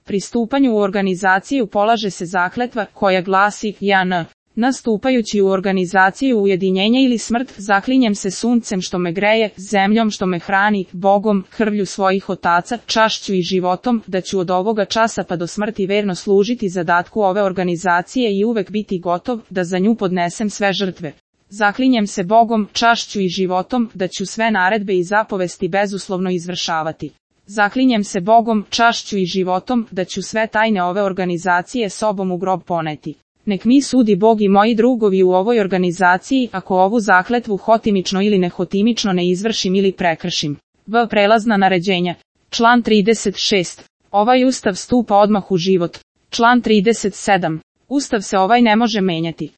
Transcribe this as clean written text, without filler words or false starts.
Pri stupanju u organizaciju polaže se zakletva koja glasi JN. Nastupajući u organizaciju ujedinjenja ili smrt, zaklinjem se suncem što me greje, zemljom što me hrani, Bogom, krvlju svojih otaca, čašću i životom, da ću od ovoga časa pa do smrti verno služiti zadatku ove organizacije i uvek biti gotov, da za nju podnesem sve žrtve. Zaklinjem se Bogom, čašću i životom, da ću sve naredbe i zapovesti bezuslovno izvršavati. Zaklinjem se Bogom, čašću i životom, da ću sve tajne ove organizacije sobom u grob poneti. Nek mi sudi Bog i moji drugovi u ovoj organizaciji, ako ovu zakletvu hotimično ili nehotimično ne izvršim ili prekršim. Prelazna naređenja. Član 36. Ovaj ustav stupa odmah u život. Član 37. Ustav se ovaj ne može menjati.